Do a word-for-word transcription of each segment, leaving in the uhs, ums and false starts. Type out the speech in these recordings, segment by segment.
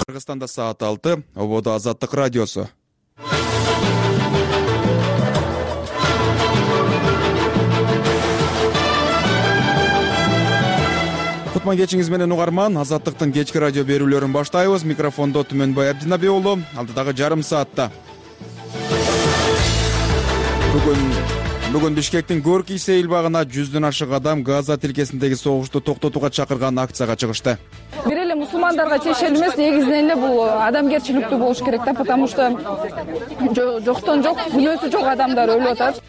Кыргызстанда саат алты, ободо Азаттык радиосу. Кутман кечиңиз менен угарман, Азаттыктын кечки радио берүүлөрүн баштайбыз. Микрофондо Түмөнбай Абдинабек уулу, алдыдагы жарым саатта. Бүгүн Бүгүн Бишкектин Горький сейилбагына жүздөн ашык адам Газа тилкесиндеги согушту токтотууга чакырган акцияга чыгышты. Бир эле мусулмандарга чечил эмес, негизинен эле бул адамгерчиликтүү болуш керек да, потому что жоктон жок, күнөөсү жок адамдар өлүп атат.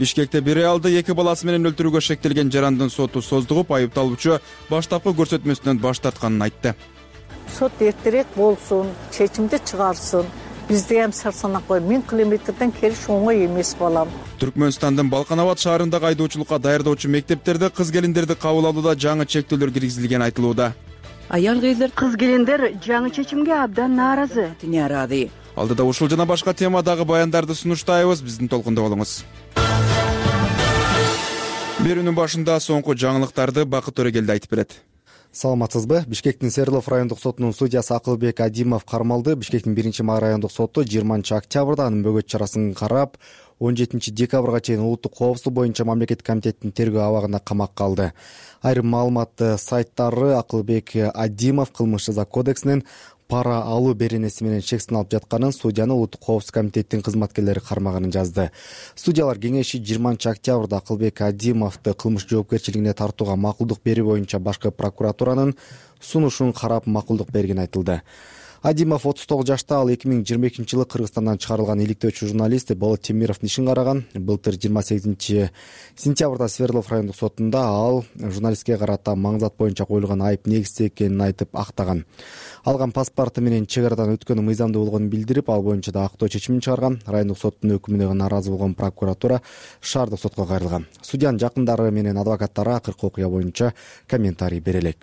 Бишкекте бир аялды эки баласы менен өлтүрүүгө шектелген жарандын соту создугуп, айыпталуучу баштапкы көрсөтмөсүнөн баш тартканын айтты. Сот эртерээк болсун, чечимди чыгарсын. Бизде эм сарсанакой миң километрден келиш оңой эмес балам. Түркмөнстандын Балканабад шаарындагы айдоочулукка даярдоочу мектептерде кыз-келиндерди кабыл алууда жаңы чектөөлөр киргизилгени айтылууда. Аял кыздер кыз-келиндер жаңы чечимге абдан нааразы. Тинярады. Алдыда ушул жана башка темадагы баяндарды сунуштайбыз. Биздин толкунда болуңуз. Берүүнүн башында соңку жаңылыктарды Бакыт Төрөгелди айтып берет. Саламатсызбы? Бишкектин Свердлов райондук сотунун судьясы Акылбек Адимов кармалды. Бишкектин биринчи райондук соту жыйырманчы октябрда анын бөгөт чарасын карап, он жетинчи декабрга чейин улуттук коопсуздук боюнча мамлекеттик комитеттин тергөө абагында камакка алды. Айрым маалымат сайттары Акылбек Адимов кылмыш жаза кодексинин пара алуу беренеси менен чек сыналып жатканын, судьяны улуттук коопсуздук комитеттин кызматкерлери кармаганын жазды. Судьялар кеңеши жыйырманчы октябрда Акылбек Адимовду кылмыш жоопкерчилигине тартууга макулдук берүү боюнча башкы прокуратуранын сунушун карап макулдук бергени айтылды. Адимов отуз тогуз жашта, ал эки миң жыйырма экинчи жылы Кыргызстандан чыгарылган иликтөөчү журналист Болот Темировдун ишин караган. Былтыр жыйырма сегизинчи сентябрда Свердлов райондук сотунда ал журналистке карата маңзат боюнча коюлган айып негизсиз экенин айтып актаган. Алган паспорту менен чек арадан өткөнү мыйзамдуу болгонун билдирип, ал боюнча да актоо чечимин чыгарган. Райондук соттун өкүмүнө нааразы болгон прокуратура шаардык сотко кайрылган. Судьянын жакындары менен адвокаттары акыркы окуя боюнча комментарий бере элек.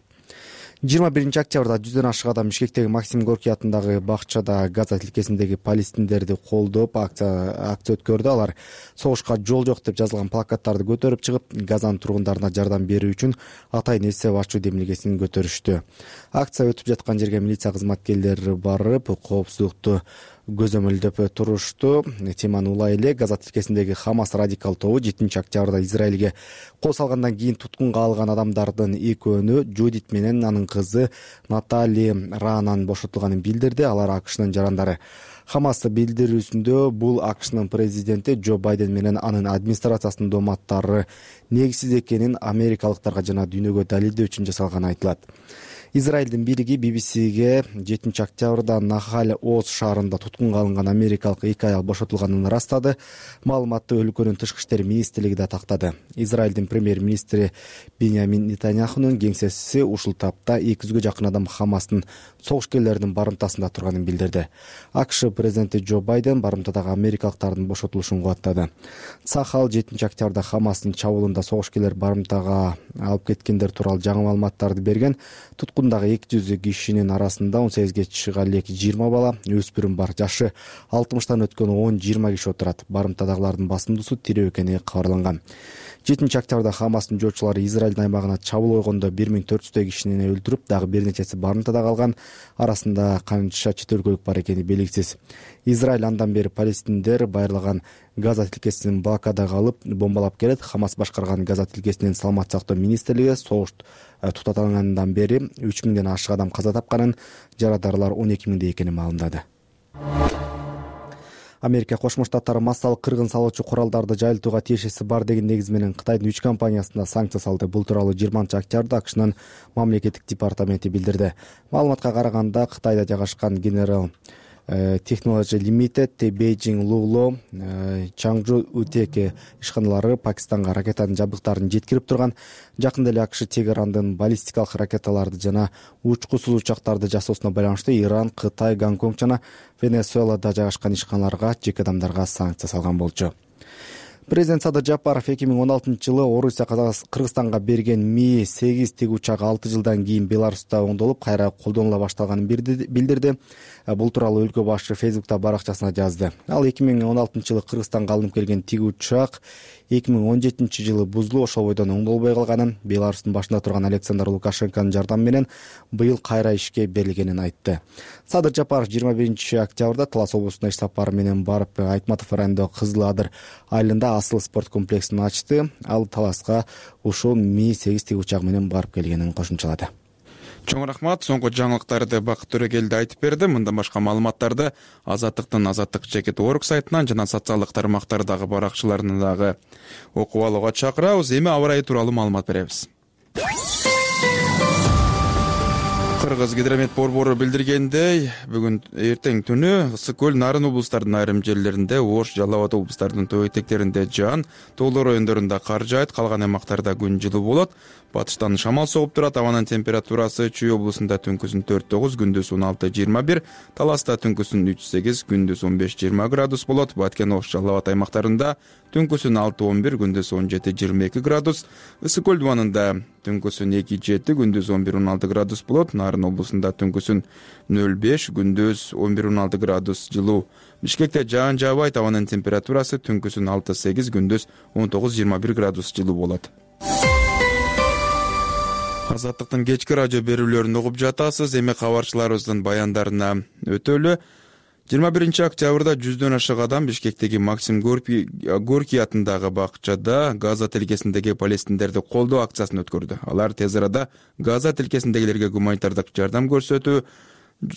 жыйырма биринчи октябрда жүздөн ашык адам Бишкектеги Максим Горький атындагы бакчада Газа тилкесиндеги палестиндерди колдоп акция акция өткөрдү. Алар согушка жол жок деп жазылган плакаттарды көтөрүп чыгып, Газанын тургундарына жардам берүү үчүн атайын эсеп ачуу демилгесин көтөрүштү. Акция өтүп жаткан жерге милиция кызматкерлери барып, коопсуздукту көзөмөлдөп турушту. Теманы улай эле Газа тилкесиндеги Хамас радикал тобу жетинчи октябрда Израилге кол салгандан кийин туткунга алган адамдардын экөөнү, Жудит менен анын кызы Натали Раанан бошотулганын билдирди. Алар АКШнын жарандары. Хамас билдирүүсүндө бул АКШнын президенти Джо Байден менен анын администрациясынын дооматтары негизсиз экенин америкалыктарга жана дүйнөгө далилдөө үчүн жасалганы айтылат. Израилдин бийлиги би би сиге жетинчи октябрда Нахаль Оз шаарында туткунга алынган америкалык эки аял бошотулганын ырастады. Маалыматты өлкөнүн тышкы иштер министрлиги да тактады. Израилдин премьер-министри Беньямин Нетаньяхунун кеңсеси ушул тапта эки жүзгө жакын адам Хамастын согушкерлеринин барымтасында турганын билдирди. АКШ президенти Джо Байден барымтадагы америкалыктардын бошотулушун кубаттады. Сахал жетинчи октябрда Хамастын чабуулунда согушкерлер барымтага алып кеткендер тууралуу жаңы маалыматтарды берген. Туткундагы эки жүз кишинин арасында он сегизге чыга элек жыйырма бала, өспүрүм бар. Жашы алтымыштан өткөн он жыйырма киши отурат. Барымтадагылардын басымдуусу тирүү экени кабарланган. жетинчи октябрда Хамастын жоочулары Израилдин аймагына чабуул койгондо бир миң төрт жүздөй кишини өлтүрүп, дагы бир нечеси барымтада калган. Арасында канча чет өлкөлүк бар экени белгисиз. Израиль андан бери палестиндер байырлаган Газа тилкесин блокадага алып, бомбалап келет. Хамас башкарган Газа тилкесинин саламат сактоо министрлиги согуш тутатылгандан бери үч миңден ашык адам каза тапканын, жарадарлар он эки миңдей экенин маалымдады. Америка Кошмо Штаттары массалык кыргын салуучу куралдарды жайылтууга тиешеси бар деген негиз менен Кытайдын үч компаниясына санкция салды. Бул тууралуу жыйырманчы октябрда АКШнын мамлекеттик департаменти билдирди. Маалыматка караганда, Кытайда жайгашкан General Technology Limited, Beijing Lulu, Changju Uteke ишканалары Пакистанга ракетанын жабдыктарын жеткирип турган. Жакында эле АКШ Тегерандын баллистикалык ракеталарды жана учкусуз учактарды жасоосуна байланыштуу Иран, Кытай, Гонконг жана Венесуэлада жайгашкан ишканаларга, жеке адамдарга санкция салган болчу. Президент Садыр Жапаров эки миң он алтынчы жылы Орусия Кыргызстанга берген Ми сегиз тигүүчак алты жылдан кийин Беларуста оңдолуп кайра колдонула башталганын билдирди. Бул тууралуу өлкө башчы Фейсбукта баракчасына жазды. Ал эки миң он алтынчы жылы Кыргызстанга алынып келген тигүүчак эки миң он жетинчи жылы бузулуп ошол бойдон оңдолбой калганын, Беларустун башында турган Александр Лукашенконун жардамы менен быйыл кайра ишке берилгенин айтты. Садыр Жапаров жыйырма биринчи октябрда Талас облусуна иш сапары менен барып, Айтматов районундагы Кызыл Адыр айылында Асыл спорт комплексин ачты. Ал Таласка ушул Ми сегиз тигүүчак менен барып келгенин кошумчалады. Чоң рахмат. Соңку жаңылыктарды Бакыт Төрөгелди айтып берди. Мындан башка маалыматтарды Азаттыктын Азаттык жекет орг сайтынан жана социалдык тармактардагы баракчыларынан дагы окуп алууга чакырабыз. Эми аба ырайы тууралуу маалымат беребиз. Кыргыз гидромет борбору билдиргендей, бүгүн эртең түнү Ысык көл, Нарын облустарынын айрым жерлеринде, Ош, Жалал Абад облустарынын төө этектеринде жаан, тоолор райондорунда кар жаайт, калган аймактарда күн жылуу болот. Батыштан шамал согуп турат. Абанын температурасы Чүй облусунда түнкүсүн төрт тогуз, күндүз он алты жыйырма бир, Таласта түнкүсүн үч сегиз, күндүз он беш жыйырма градус болот. Баткен, Ош, Жалал Абад аймактарында түнкүсүн алты он бир, күндүз он жети жыйырма эки градус. Ысык көл дубанында түнкүсүн эки жети, күндүз он бир он алты градус болот. Нарын облусунда түнкүсүн нөл беш, күндүз он бир он алты градус жылуу. Бишкекте жаан жаабайт. Абанын температурасы түнкүсүн алты сегиз, күндүз он тогуз жыйырма бир градус жылуу болот. Азаттыктын кечки радио берүүлөрүн угуп жатасыз. Эми кабарчыларыбыздын баяндарына өтөлү. жыйырма биринчи октябрда жүздөн ашык адам Бишкектеги Максим Горький атындагы бакчада Газа тилкесиндеги палестиндерди колдоо акциясын өткөрдү. Алар тез арада Газа тилкесиндегилерге гуманитардык жардам көрсөтүү,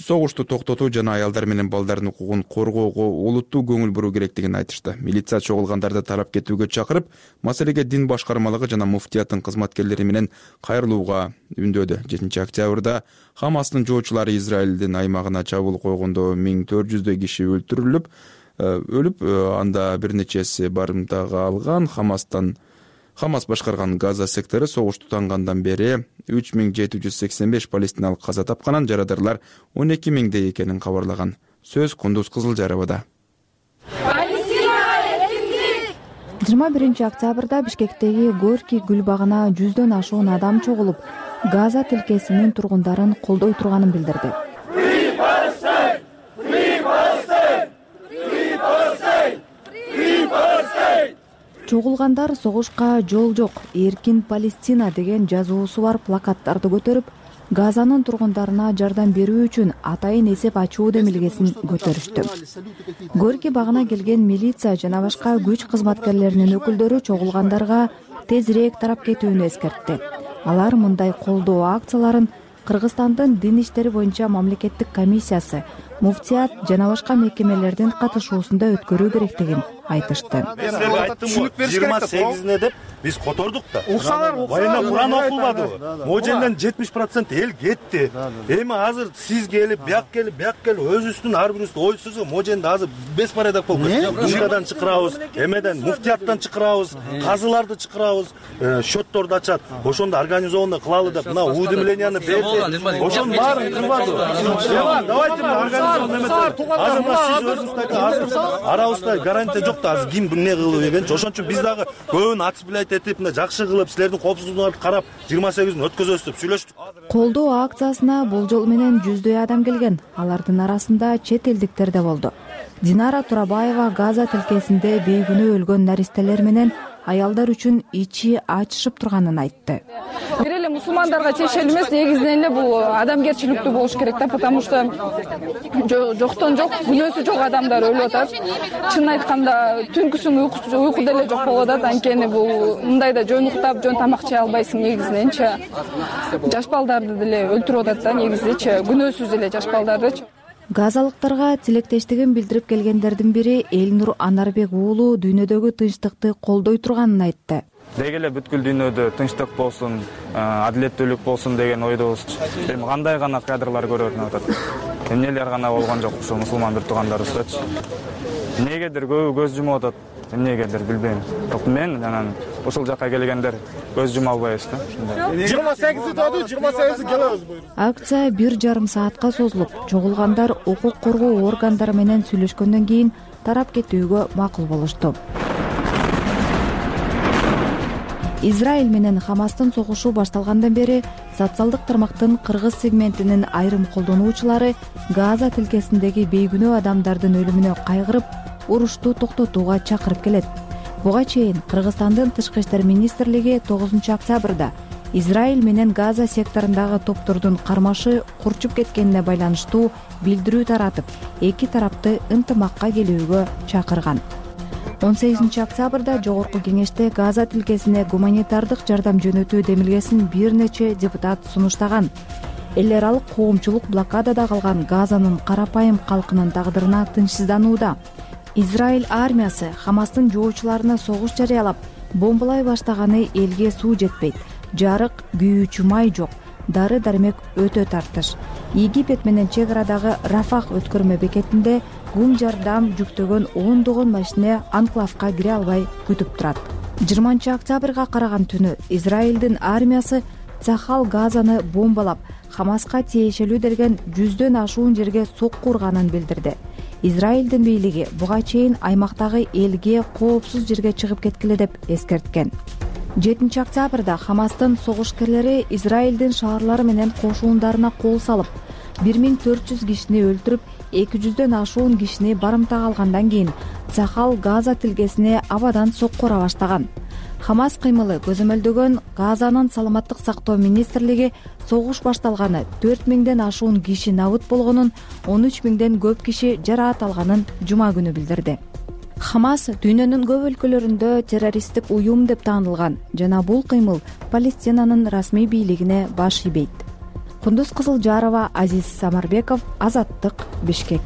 согушту токтотуу жана аялдар менен балдардын укугун коргоого олуттуу көңүл буруу керектигин айтышты. Милиция чогулгандарды тарап кетүүгө чакырып, маселеге дин башкармалыгы жана муфтияттын кызматкерлери менен кайрылууга үндөдү. жетинчи октябрда Хамастын жоочулары Израилдин аймагына чабуул койгондо миң төрт жүздөй киши өлтүрүлүп, өлүп, анда бир нечеси барымтага алган. Хамастан Хамас башкарган Газа сектору согуш тутангандан бери үч миң жети жүз сексен беш палестиналык каза тапканын, жарадарлар он эки миңдей экенин кабарлаган. Сөз Кундуз Кызылжарыбада. жыйырма биринчи октябрда Бишкектеги Горький гүл багына жүздөн ашуун адам чогулуп, Газа тилкесинин тургундарын колдой турганын билдирди. Чогулгандар согушка жол жок, эркин Палестина деген жазуусу бар плакаттарды көтөрүп, Газанын тургундарына жардам берүү үчүн атайын эсеп ачуу демилгесин көтөрүштү. Горький багына келген милиция жана башка күч кызматкерлеринин өкүлдөрү чогулгандарга тезирээк тарап кетүүнү эскертти. Алар мындай колдоо акцияларын Кыргызстандын дин иштери боюнча мамлекеттик комиссиясы, муфтият жана башка мекемелердин катышуусунда өткөрүү керектигин айтышты. жыйырма сегизине деп биз котордук да. Баяна Куран окулбадыбы? Моженден жетимиш процент эл кетти. Эми азыр сиз келип, бияк келип, бияк келип, өзүбүздүн ар бирибиздин ой сөзү Моженде азыр беспорядок болуп кетти. Ушкадан чакырабыз, эмеден муфтияттан чакырабыз, казыларды чакырабыз, счетторду ачат. Ошондо организованно кылалы деп мына уведомленияны берди. Ошонун баарын кылбады. Давайте организованно эмет. Азыр сиз өзүңүздө азыр арабызда гарантия жок да, азыр ким эмне кылып дегенчи. Ошон үчүн биз дагы көбүн отсплять этип, мына жакшы кылып, силердин коопсуздугуңарды карап, жыйырма сегизин өткөзөбүз деп сүйлөштүк. Колдоо акциясына болжол менен жүздөй адам келген. Алардын арасында чет элдиктер да болду. Динара Турабаева Газа тилкесинде бейгүнөө өлгөн наристелер менен аялдар үчүн ичи ачышып турганын айтты. Бир эле мусулмандарга тиешелүү эмес, негизинен эле бул адамгерчиликтүү болуш керек да, потому что жоктон жок, күнөөсү жок адамдар өлүп атат. Чынын айтканда, түнкүсүн уйку деле жок болуп атат. Анткени бул мындайда жөн уктап, жөн тамак жей албайсың негизиненчи. Жаш балдарды деле өлтүрүп атат да, негизичи, күнөөсүз эле жаш балдарды. Газалыктарга тилектештигин билдирип келгендердин бири Элнур Анарбек уулу дүйнөдөгү тынчтыкты колдой турганын айтты. Деги эле бүткүл дүйнөдө тынчтык болсун, адилеттүүлүк болсун деген ойдобуз. Эми кандай гана кадрлар көрүнүп атат. Эмнелер гана болгон жок ушул мусулман бир туугандарыбыздачы. Эмнегедир көбү көз жумуп атат. Эмнегедир билбейм. Бирок мен анан ушул жакка келгендер көз жума албайбыз да. жыйырма сегизи деді, жыйырма сегизи келебиз. Акция бир жарым саатка созулуп, чогулгандар укук коргоо органдары менен сүйлөшкөндөн кийин тарап кетүүгө макул болушту. Израиль менен Хамастын согушу башталгандан бери социалдык тармактын кыргыз сегментинин айрым колдонуучулары Газа тилкесиндеги бейгүнөө адамдардын өлүмүнө кайгырып, урушту токтотууга чакырып келет. Буга чейин Кыргызстандын тышкы иштер министрлиги тогузунчу октябрда Израиль менен Газа секторундагы топтордун кармашы курчуп кеткенине байланыштуу билдирүү таратып, эки тарапты ынтымакка келүүгө чакырган. он сегизинчи октябрда Жогорку кеңеште Газа тилкесине гуманитардык жардам жөнөтүү демилгесин бир нече депутат сунуштаган. Эл аралык коомчулук блокадада калган Газанын карапайым калкынын тагдырына тынчсызданууда. Израиль армиясы Хамастын жоочуларына согуш жарыялап, бомбалай баштаганы элге суу жетпейт, жарык, күйүүчү май жок, дары-дармек өтө тартыш. Египет менен чек арадагы Рафах өткөрмө бекетинде гум жардам жүктөгөн ондогон машина анклавка кире албай күтүп турат. жыйырманчы октябрга караган түнү Израилдин армиясы Цахал Газаны бомбалап, Хамаска тиешелүү делген жүздөн ашуун жерге сокку урганын билдирди. Израилдин бийлиги буга чейин аймактагы элге коопсуз жерге чыгып кеткиле деп эскерткен. жетинчи октябрда Хамастын согушкерлери Израилдин шаарлары менен кошундарына кол салып, бир миң төрт жүз кишини өлтүрүп, эки жүздөн ашуун кишини барымтага алгандан кийин Цахал Газа тилкесине абадан сокку ура баштаган. Хамас кыймылы көзөмөлдөгөн Газанын саламаттык сактоо министрлиги согуш башталганы төрт миңден ашуун киши набыт болгонун, он үч миңден көп киши жараат алганын жума күнү билдирди. Хамас дүйнөнүн көп өлкөлөрүндө террористтик уюм деп таанылган жана бул кыймыл Палестинанын расмий бийлигине баш ийбейт. Кундуз Кызылжарова, Азиз Самарбеков, Азаттык, Бишкек.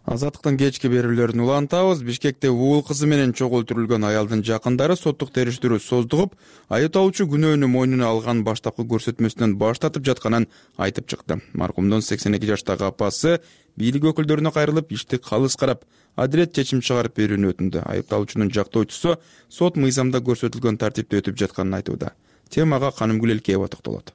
Азаттыктын кечки берүүлөрүн улантабыз. Бишкекте уул кызы менен чогултурулган аялдын жакындары соттук териштирүү создугуп, айыпталуучу күнөөнү мойнуна алган баштапкы көрсөтмөсүнөн баш тартып жатканын айтып чыкты. Маркумдун сексен эки жаштагы апасы бийлик өкүлдөрүнө кайрылып, ишти калыс карап, адилет чечим чыгарып берүүнү өтүндү. Айыпталуучунун жактоочусу сот мыйзамда көрсөтүлгөн тартипте өтүп жатканын айтууда. Темага Канымгүл Элкеева токтолот.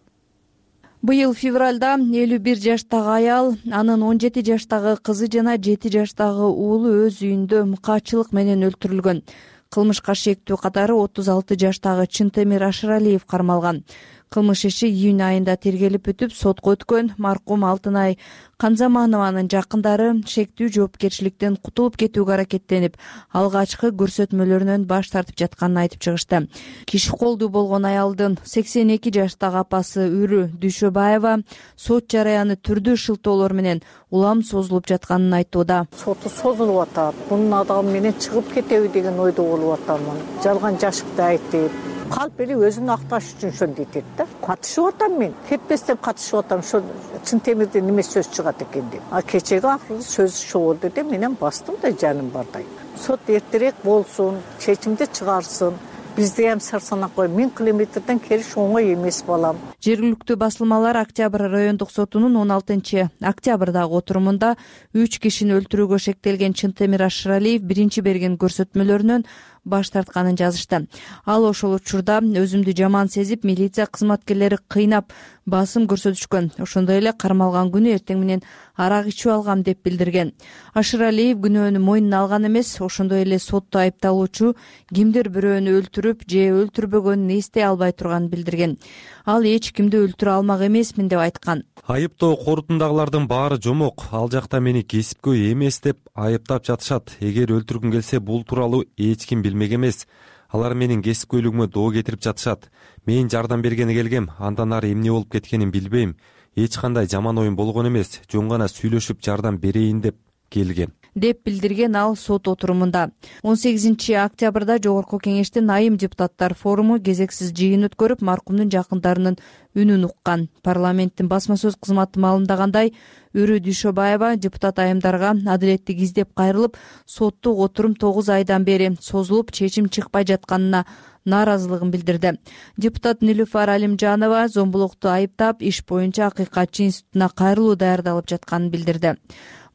Быйыл февралда элүү бир жаштагы аял, анын он жети жаштагы кызы жана жети жаштагы уулу өз үйүндө мыкаачылык менен өлтүрүлгөн. Кылмышка шектүү катары отуз алты жаштагы Чынтемир Ашыралиев кармалган. Кылмыш иши июнь айында тергелип бүтүп, сотко өткөн. Маркум Алтынай Канзаманованын жакындары шектүү жоопкерчиликтен кутулуп кетүүгө аракеттенип, алгачкы көрсөтмөлөрүнөн баш тартып жатканын айтып чыгышты. Киши колдуу болгон аялдын сексен эки жаштагы апасы Үрү Дүйшөбаева сот жараяны түрдүү шылтоолор менен улам созулуп жатканын айтууда. Соту созулуп атат. Бунун адамы менен чыгып кетеби деген ойдо болуп атамын. Жалган жашыкты айтып, калп эли өзүн акташ үчүн ошондой дейт да. Катышып атам мен. Кетпестен катышып атам. Ошо Чынтемирден неме сөз чыгат экен деп. А кечеги акыркы сөз ошо болду деп менен бастым да жаным бардай. Сот эртерээк болсун, чечимди чыгарсын. Бизде ham сар санак кой. миң километрден келиш оңой эмес балам. Жергиликтүү басылмалар Октябрь райондук сотунун он алтынчы октябрдагы отурумунда үч кишини өлтүрүүгө шектелген Чынтемир Ашыралиев биринчи берген көрсөтмөлөрүнөн баш тартканын жазышты. Ал ошол учурда өзүмдү жаман сезип, милиция кызматкерлери кыйнап, басым көрсөтүшкөн. Ошондой эле кармалган күнү эртең менен арак ичип алгам деп билдирген. Ашыралиев күнөөнү мойнуна алган эмес, ошондой эле сотто айыпталуучу кимдир бирөөнү өлтүрүп же өлтүрбөгөнүн эстей албай турганын билдирген. Ал эч кимди өлтүрө алмак эмесмин деп айткан. Айыптоо корутундагылардын баары жомок. Ал жакта мени кесипкөй эмес деп айыптап жатышат. Эгер өлтүргүм келсе, бул тууралуу эч ким билмек эмес. Алар менин кесипкөйлүгүмө доо кетирип жатышат. Мен жардам бергени келгем, андан ары эмне болуп кеткенин билбейм. Эч кандай жаман оюм болгон эмес. Жөн гана сүйлөшүп жардам берейин деп келгем деп билдирген ал сот отурумунда. он сегизинчи октябрда Жогорку кеңештин айым депутаттар форуму кезексиз жыйын өткөрүп, маркумдун жакындарынын үнүн уккан. Парламенттин басма сөз кызматы маалымдагандай, Үрү Дүйшөбаева депутат айымдарга адилеттик издеп кайрылып, соттук отурум тогуз айдан бери созулуп, чечим чыкпай жатканына нааразылыгын билдирди. Депутат Нилүфар Алимжанова зомбулукту айыптап, иш боюнча Акыйкатчы институтуна кайрылуу даярдалып жатканын билдирди.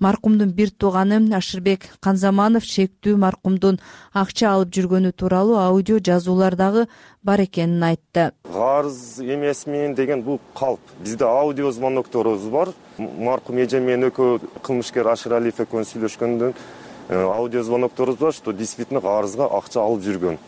Маркумдун бир тууганы Ашырбек Канзаманов шектүү маркумдун акча алып жүргөнү тууралуу аудио жазуулар дагы бар экенин айтты. Карыз эмесмин деген бул калп. Бизде аудио звонокторубуз бар. Маркум эжем менен экөө кылмышкер Ашыралиев экөөбүз сүйлөшкөндөн аудио звонокторубуз бар, что действительно арызга акча алып жүргөн.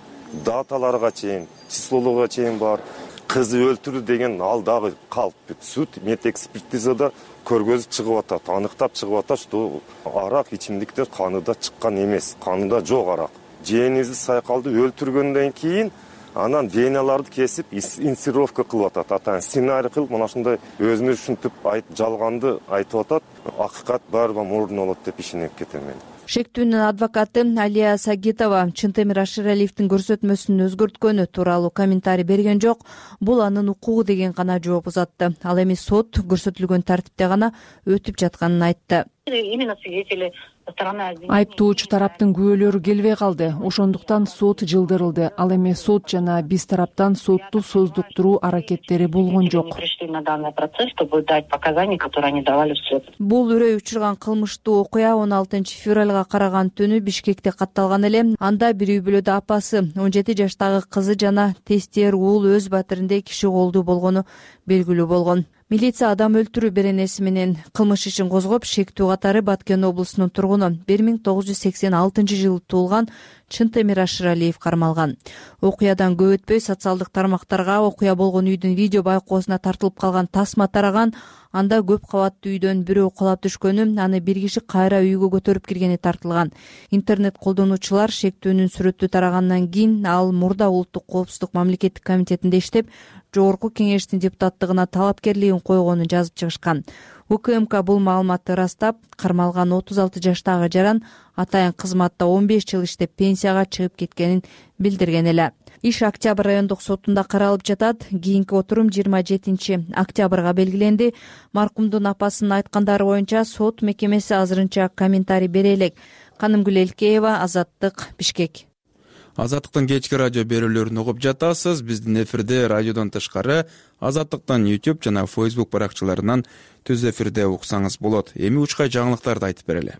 Даталарга чейин, числолуга чейин бар. Кызы өлтүрдү деген ал дагы калп. Суд медэкспертизада көргөзүп чыгып атат, аныктап чыгып атат, что арак ичимдиктер каныда чыккан эмес, каныда жок арак. Жээнибизди Сайкалды өлтүргөндөн кийин анан веналарды кесип инсценировка кылып атат. Атан сценарий кылып, мына ушундай өзүнө ушинтип жалганды айтып атат. Акыйкат баарыбы мурдун болот деп ишенип кетем мен. Шектүүнүн адвокаты Алия Сагитова Чынтемир Ашыралиевдин көрсөтмөсүн өзгөрткөнү тууралуу комментарий берген жок. Бул анын укугу деген гана жооп узатты. Ал эми сот көрсөтүлгөн тартипте гана өтүп жатканын айтты. Именно свидетели Айыптоочу тараптын күбөлөрү келбей калды. Ошондуктан сот жылдырылды. Ал эми сот жана биз тараптан сотту создуктуруу аракеттери болгон жок. Бул үрөй учурган кылмыштуу окуя он алтынчы февралга караган түнү Бишкекте катталган эле. Анда бир үй бүлөдө апасы, он жети жаштагы кызы жана тестер уул өз батиринде киши колдуу болгону белгилүү болгон. Милиция адам өлтүрүү беренеси менен кылмыш ишин козгоп, шектүү катары Баткен облусунун тургуну бир миң тогуз жүз сексен алтынчы жылы туулган Чынтемир Ашыралиев кармалган. Окуядан көп өтпөй социалдык тармактарга окуя болгон үйдүн видео байкоосуна тартылып калган тасма тараган. Анда көп кабаттуу үйдөн бирөө кулап түшкөнү, аны бир киши кайра үйгө көтөрүп киргени тартылган. Интернет колдонуучулар шектүүнүн сүрөтү тарагандан кийин ал мурда улуттук коопсуздук мамлекеттик комитетинде иштеп, жогорку кеңештин депутаттыгына талапкерлигин койгонун жазып чыгышкан. УКМК бул маалыматты ырастап, кармалган отуз алты жаштагы жаран атайын кызматта он беш жыл иштеп пенсияга чыгып кеткенин билдирген эле. Иш Октябрь райондук сотунда каралып жатат. Кийинки отурум жыйырма жетинчи октябрга белгиленди. Маркумдун апасынын айткандары боюнча сот мекемеси азырынча комментарий бере элек. Канымгүл Элкеева, Азаттык, Бишкек. Азаттыктын кечки радио берүүлөрүн угуп жатасыз. Биздин эфирде радиодон тышкары Азаттыктан YouTube жана Facebook баракчаларынан түз эфирде уксаңыз болот. Эми учкай жаңылыктарды айтып берели.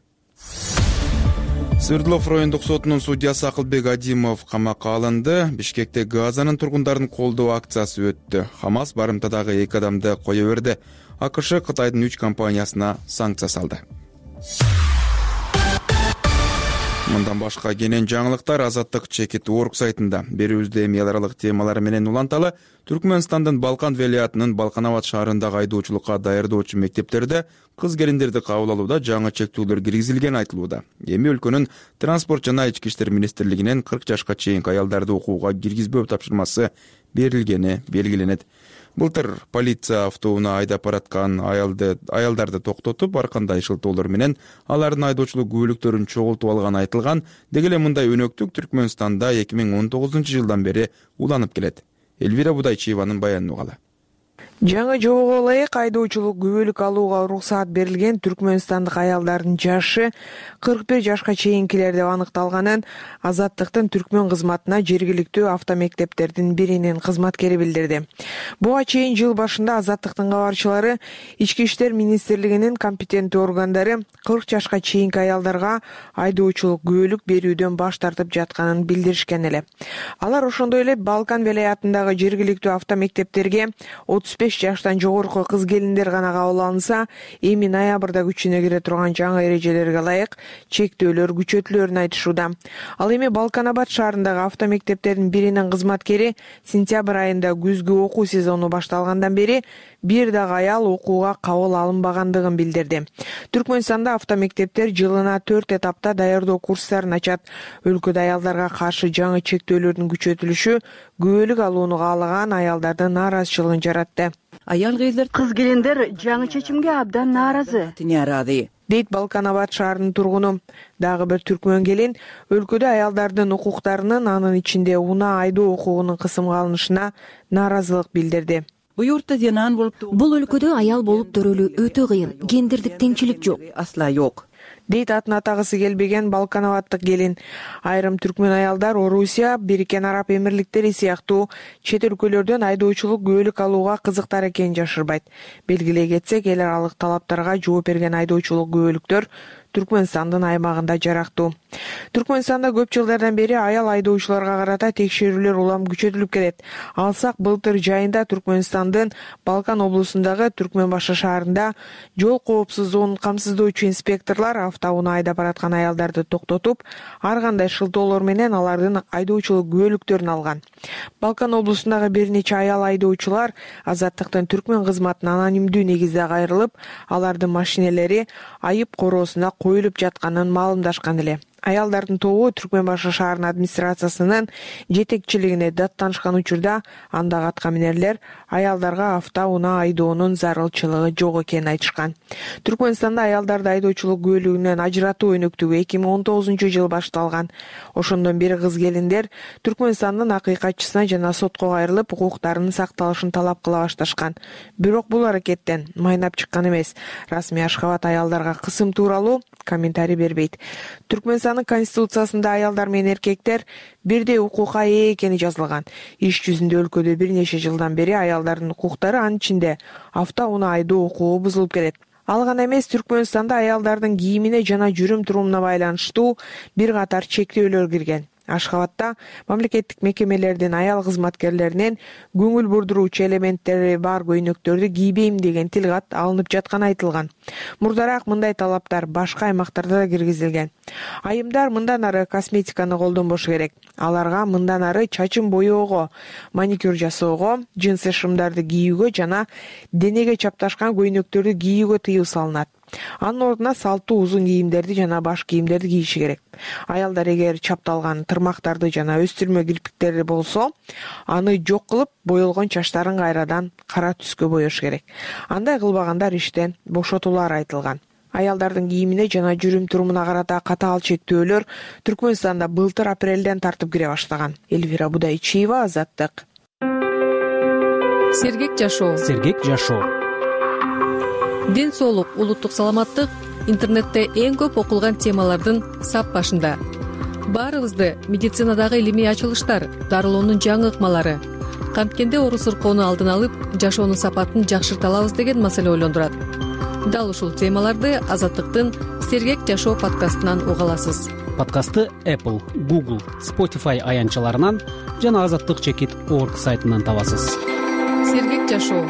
Свердлов райондук сотунун судьясы Акылбек Адимов камакка алынды. Бишкекте Газанын тургундарын колдоо акциясы өттү. Хамас барымтадагы эки адамды кое берди. АКШ Кытайдын үч компаниясына санкция салды. Мындан башка кенен жаңылыктар Азаттык чекит орг сайтында. Берүүбүздө эми эл аралык темалар менен уланталы Түркмөнстандын Балкан велиятынын Балкан Абад шаарындагы айдоочулукка даярдоочу мектептерде кыз келиндерди кабыл алууда жаңы чектүүлөр киргизилгени айтылууда. Эми өлкөнүн транспорт жана ички иштер министрлигинен кырк жашка чейинки аялдарды окууга киргизбөө тапшырмасы берилгени белгиленет. Былтыр полиция автобуна айдап бараткан аялды аялдарды токтотуп, ар кандай шылтоолор менен алардын айдоочулук күбөлүктөрүн чогултуп алганы айтылган. Деги эле мындай өнөктүк Түркмөнстанда эки миң он тогузунчу жылдан бери уланып келет. Элвира Будайчиеванын баянын угалы. Жаңы жобого ылайык айдоочулук күбөлүк алууга уруксаат берилген түркмөнстандык аялдардын жашы кырк бир жашка чейинкилер деп аныкталганын Азаттыктын түркмөн кызматына жергиликтүү автомектептердин биринин кызматкери билдирди. Буга чейин жыл башында Азаттыктын кабарчылары ички иштер министрлигинин компетенттүү органдары кырк жашка чейинки аялдарга айдоочулук күбөлүк берүүдөн баш тартып жатканын билдиришкен эле. Алар ошондой эле Балкан велаятындагы жергиликтүү автомектептерге отуз беш жаштан жогорку кыз келиндер гана кабыл алынса, эми ноябрда күчүнө кире турган жаңы эрежелерге ылайык чектөөлөр күчөтүлөрүн айтышууда. Ал эми Балкан Абад шаарындагы автомектептердин биринин кызматкери сентябрь айында күзгү окуу сезону башталгандан бери бир дагы аял окууга кабыл алынбагандыгын билдирди. Түркмөнстанда автомектептер жылына төрт этапта даярдоо курстарын ачат. Өлкөдө аялдарга каршы жаңы чектөөлөрдүн күчөтүлүшү күбөлүк алууну каалаган аялдардын нааразычылыгын жаратты. Аял кыз келиндер жаңы чечимге абдан нааразы дейт Балкан Абад шаарынын тургуну. Дагы бир түркмөн келин өлкөдө аялдардын укуктарынын, анын ичинде унаа айдоо укугунун кысымга алынышына нааразылык билдирди. Бул өлкөдө аял болуп төрөлүү өтө кыйын, гендердик теңчилик жок. Асла жок. Дейт атын атагысы келбеген Балкан Абадтык келин. Айрым түркмөн аялдар Орусия, Бириккен Араб Эмирликтери сыяктуу чет өлкөлөрдөн айдоочулук күбөлүк алууга кызыктар экенин жашырбайт. Белгилей кетсек, эл аралык талаптарга жооп берген айдоочулук күбөлүктөр Түркмөнстандын аймагында жарактуу. Түркмөнстанда көп жылдардан бери аял айдоочуларга карата текшерүүлөр улам күчөтүлүп келет. Алсак былтыр жайында Түркмөнстандын Балкан облусундагы Түркмөнбашы шаарында жол коопсуздугун камсыздоочу инспекторлор автоунаа айдап бараткан аялдарды токтотуп, ар кандай шылтоолор менен алардын айдоочулук күбөлүктөрүн алган. Балкан облусундагы бир нече аял айдоочулар Азаттыктын түркмөн кызматына анонимдүү негизде кайрылып, алардын машинелери айып короосуна коюлуп жатканын маалымдашкан эле. Аялдардын тобу Түркмөнбашы шаарынын администрациясынын жетекчилигине даттанышкан учурда андагы аткаминерлер аялдарга автоунаа айдоонун зарылчылыгы жок экенин айтышкан. Түркмөнстанда аялдарды айдоочулук күбөлүгүнөн ажыратуу өнөктүгү эки миң он тогузунчу жылы башталган. Ошондон бери кыз-келиндер Түркмөнстандын акыйкатчысына жана сотко кайрылып, укуктарынын сакталышын талап кыла башташкан. Бирок бул аракеттен майнап чыккан эмес. Расмий Ашхабад аялдарга кысым тууралуу комментарий бербейт. Түркмөнстандын конституциясында аялдар менен эркектер бирдей укукка ээ экени жазылган. Иш жүзүндө өлкөдө бир нече жылдан бери аялдардын укуктары, анын ичинде автоунаа айдоо укугу бузулуп келет. Ал гана эмес, Түркмөнстанда аялдардын кийимине жана жүрүм-турумуна байланыштуу бир катар чектөөлөр кирген. Ашхабадда мамлекеттик мекемелердин аял кызматкерлеринен көңүл бурдуруучу элементтери бар көйнөктөрдү кийбейм деген тилгат алынып жатканы айтылган. Мурдараак мындай талаптар башка аймактарда да киргизилген. Айымдар мындан ары косметиканы колдонбошу керек. Аларга мындан ары чачын боёого, маникюр жасоого, джинсы шымдарды кийүүгө жана денеге чапташкан көйнөктөрдү кийүүгө тыюу салынат. Анын ордуна салттуу узун кийимдерди жана баш кийимдерди кийиши керек. Аялдар эгер чапталган тырмактарды жана өстүрмө кирпиктери болсо, аны жок кылып, боелгон чачтарын кайрадан кара түскө боёш керек. Андай кылбагандар иштен бошотулары айтылган. Аялдардын кийимине жана жүрүм-турумуна карата катаал чектөөлөр Түркмөнстанда былтыр апрелден тартып кире баштаган. Эльвира Будайчиева, Азаттык. Сергек жашоо. Сергек жашоо. Ден соолук, улуттук саламаттык интернетте эң көп окулган темалардын сап башында. Баарыбызды медицинадагы илимий ачылыштар, дарылоонун жаңы ыкмалары, камткенде оору-сыркоону алдын алып, жашоонун сапатын жакшырта алабыз деген маселе ойлондурат. Дал ушул темаларды Азаттыктын Сергек жашоо подкастынан уга аласыз. Подкастты Apple, Google, Spotify аянтчаларынан жана азаттык чекит точка орг сайтынан табасыз. Сергек жашоо.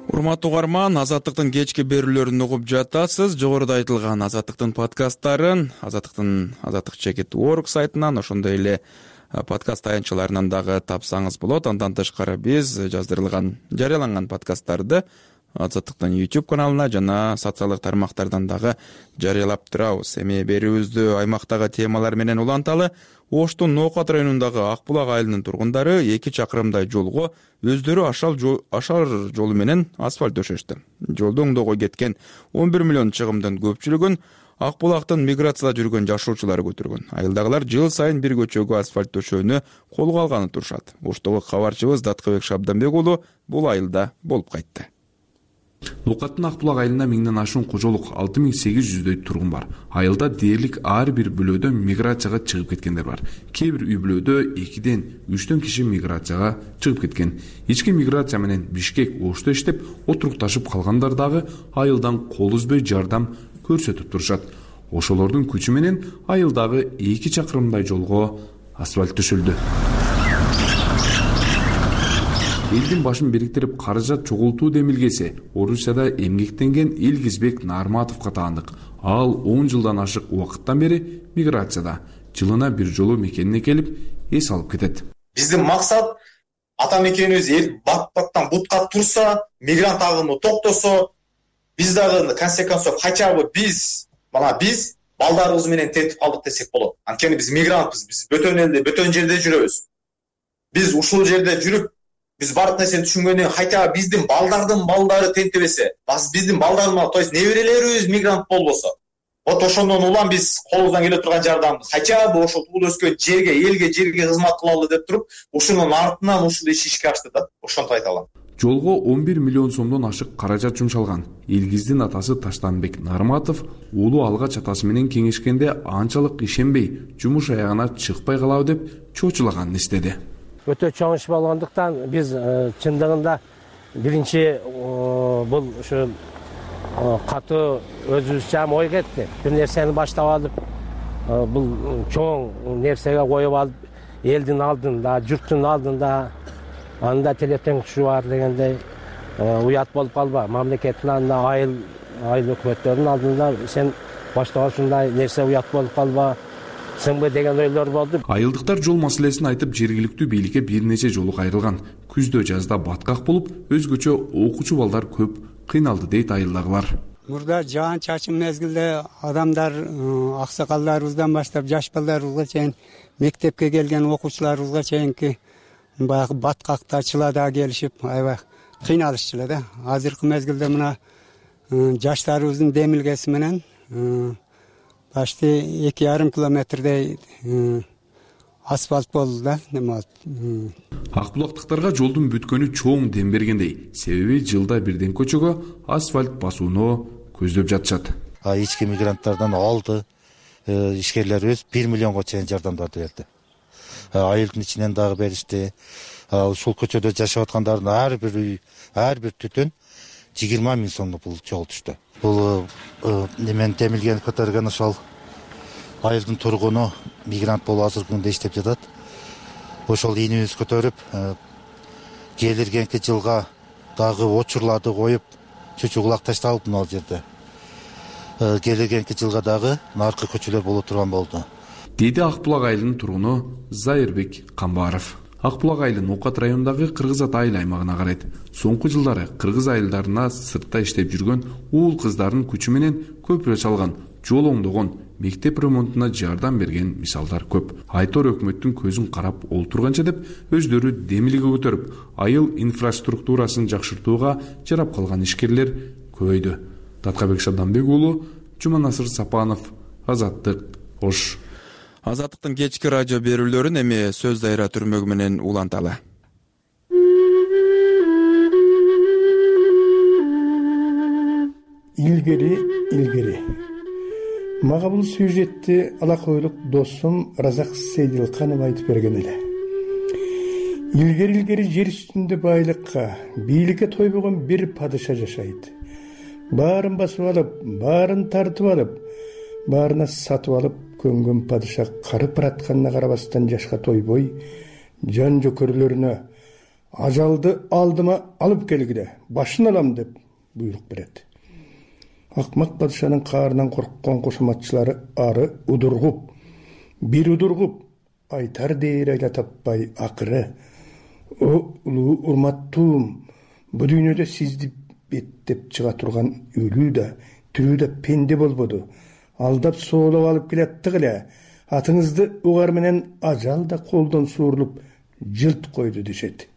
Урматтуу угарман, Азаттыктын кечки берүүлөрүн угуп жатасыз. Жогоруда айтылган Азаттыктын подкасттарын Азаттыктын азаттык чекит точка орг сайтынан, ошондой эле подкаст аянтчаларынан дагы тапсаңыз болот. Андан тышкары биз жаздырылган, жарыяланган подкасттарды Азаттыктын YouTube каналына жана социалдык тармактардан дагы жарыялап турабыз. Эми берүүбүздү аймактагы темалар менен уланталы. Оштун Ноокат районундагы Ак булак айылынын тургундары эки чакырымдай жолго өздөрү ашар жолу менен асфальт төшөштү. Жолду оңдоого кеткен он бир миллион чыгымдын көпчүлүгүн Ак булактын миграцияда жүргөн жашоочулары көтөргөн. Айылдагылар жыл сайын бир көчөгө асфальт төшөөнү колго алганы турушат. Оштогу кабарчыбыз Даткыбек Шабданбек уулу бул айылда болуп кайтты. Ноокаттын Ак булак айылында миңден ашуун кожолук, алты миң сегиз жүздөй тургун бар. Айылда дээрлик ар бир бүлөөдө миграцияга чыгып кеткендер бар. Кээ бир үй бүлөөдө экиден үчтөн киши миграцияга чыгып кеткен. Ички миграция менен Бишкек, Ошто иштеп, отурукташып калгандар дагы айылдан кол үзбөй жардам көрсөтүп турушат. Ошолордун күчү менен айылдагы эки чакырымдай жолго асфальт төшөлдү. Элдин башын бириктирип каражат чогултуу демилгеси Орусияда эмгектенген Илгизбек Нарматовго таандык. Ал он жылдан ашык убакыттан бери миграцияда, жылына бир жолу мекенине келип, эс алып кетет. Биздин максат ата мекенибиз эл бат-баттан бутка турса, мигрант агымы токтосо, биз дагы конце концов хотя бы биз, мына биз балдарыбыз менен тентип калдык десек болот. Анткени биз мигрантпыз, биз бөтөн элде, бөтөн жерде жүрөбүз. Биз ушул жерде жүрүп биз бардык нерсени түшүнгөндөн хотя биздин балдардын балдары тентебесе, биздин балдардын, то есть неберелерибиз мигрант болбосо, вот ошондон улам биз колубуздан келе турган жардамды хотя бы ошол туулуп өскөн жерге, элге, жерге кызмат кылалы деп туруп, ушунун артынан ушул иш ишке ашты да. Ошонтип айта алам. Жолго он бир миллион сомдон ашык каражат жумшалган. Илгиздин атасы Таштанбек Нарматов уулу алгач атасы менен кеңешкенде анчалык ишенбей, жумуш аягына чыкпай калабы деп чочулаганын эстеди. Өтө чоң иш болгондуктан биз чындыгында биринчи бул ушу катуу өзүбүзчө ой кетти. Бир нерсени баштап алып, бул чоң нерсеге коюп алып, элдин алдында, журттун алдында анда телетең кушу бар дегендей уят болуп калба. Мамлекеттин алдында, айыл айыл өкмөттөрдүн алдында сен баштап ушундай нерсе уят болуп калба, сыңбы деген ойлор болду. Айылдыктар жол маселесин айтып, жергиликтүү бийликке бир нече жолу кайрылган. Күздө жазда баткак болуп, өзгөчө окуучу балдар көп кыйналды дейт айылдагылар. Мурда жаан чачым мезгилде адамдар, аксакалдарыбыздан баштап жаш балдарыбызга чейин, мектепке келген окуучуларыбызга чейинки баягы баткакта, чылада келишип, аябай кыйналышчу да. Азыркы мезгилде мына жаштарыбыздын демилгеси менен почти эки жарым километрдей асфальт болду да. Ак булактыктарга жолдун бүткөнү чоң дем бергендей, себеби жылда бирден көчөгө асфальт басууну көздөп жатышат. Ички мигранттардан алды ишкерлерибиз бир миллионго чейин жардамдарды берди. Айылдын ичинен дагы беришти. Ушул көчөдө жашап аткандардын ар бир үй, ар бир түтүн жыйырма миң сомдук бул жол түштү. Бул немен демилген көтөргөн ошол айылдын тургуну мигрант болуп азыркы күндө иштеп жатат. Ошол ийнибиз көтөрүп, келиргенки жылга дагы очурларды коюп, чүчү кулак ташталып мына жерде. Келиргенки жылга дагы наркы көчөлөр боло турган болду. Деди Ак булак айылынын тургуну Зайырбек Камбаров. Ак булак айылы Ноокат районундагы Кыргыз Ата айыл аймагына карайт. Соңку жылдары кыргыз айылдарына сыртта иштеп жүргөн уул кыздардын күчү менен көпүрө салган, жол оңдогон, мектеп ремонтуна жардам берген мисалдар көп. Айтор өкмөттүн көзүн карап олтурганча деп өздөрү демилге көтөрүп, айыл инфраструктурасын жакшыртууга жарап калган ишкерлер көбөйдү. Таткабек Шабданбек уулу, Жуманасыр Сапанов, Азаттык, Ош. Азаттыктын кечки радио берүүлөрүн эми сөз дайра түрмөгү менен уланталы. Илгери, илгери. Мага бул сюжетти алакойлук досум Разак Сейдилканов айтып берген эле. Илгери-илгери жер үстүндө байлыкка, бийликке тойбогон бир падыша жашайт. Баарын басып алып, баарын тартып алып, баарына сатып алып көнгөн падыша карып баратканына карабастан жашка тойбой, жан жөкөрлөрүнө ажалды алдыма алып келгиле, башын алам деп буйрук берет. Акмак падышанын каарынан корккон кошоматчылары ары удургуп, бир удургуп, айтар дээр айла таппай акыры: "О улуу урматтуум, бу дүйнөдө сизди беттеп чыга турган өлүү да, тирүү да пенде болбоду. Алдап соолоп алып келаттык эле. Атыңызды угар менен ажал да колдон суурулуп жылт койду" дешет.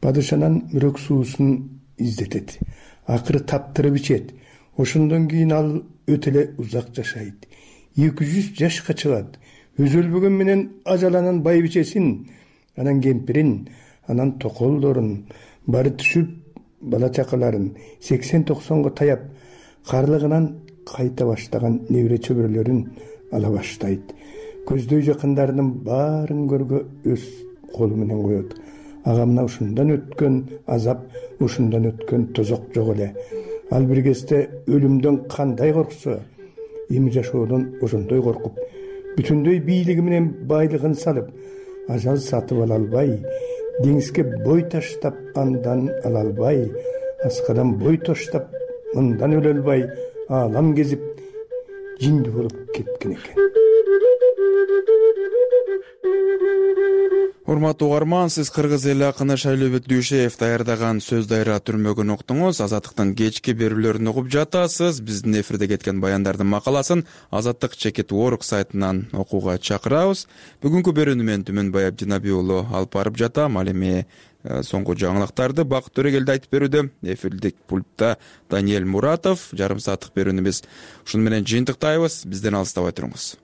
Падышанан мүрөк суусун издетет. Акыры таптырып ичет. Ошондон кийин ал өтө эле узак жашайт. эки жүз жашка чыгат. Өзөлбөгөн менен ажаланан байбичесин, анан кемпирин, анан токолдорун, бары түшүп бала чакаларын сексен токсонго таяп, карлыгынан кайта баштаган небере чөбүрөлөрүн ала баштайт. Көздөй жакындарынын баарын көргө өз колу менен коет. Ага мына ушундан өткөн азап, ушундан өткөн тозок жок эле. Ал бир кезде өлүмдөн кандай корксо, эми жашоодон ошондой коркуп, бүтүндөй бийлиги менен байлыгын салып, ажал сатып ала албай, деңизге бой таштап андан ала албай, аскадан бой таштап мындан өлө албай, аалам кезип жинди болуп кеткен экен. Урматтуу угарман, сиз кыргыз эли акыны Шайлообек Дүйшеев даярдаган сөз дайра түрмөгүн уктуңуз. Азаттыктын кечки берүүлөрүн угуп жатасыз. Биздин эфирде кеткен баяндардын макаласын Азаттык чекит орг сайтынан окууга чакырабыз. Бүгүнкү берүүнү мен Түмөнбай Абдинаби уулу алып барып жатам. Ал эми соңку жаңылыктарды Бакыт Төрөгелди айтып берүүдө. Эфирдик пультта Даниэль Муратов. Жарым сааттык берүүнү биз ушуну менен жыйынтыктайбыз. Бизден алыстабай туруңуз.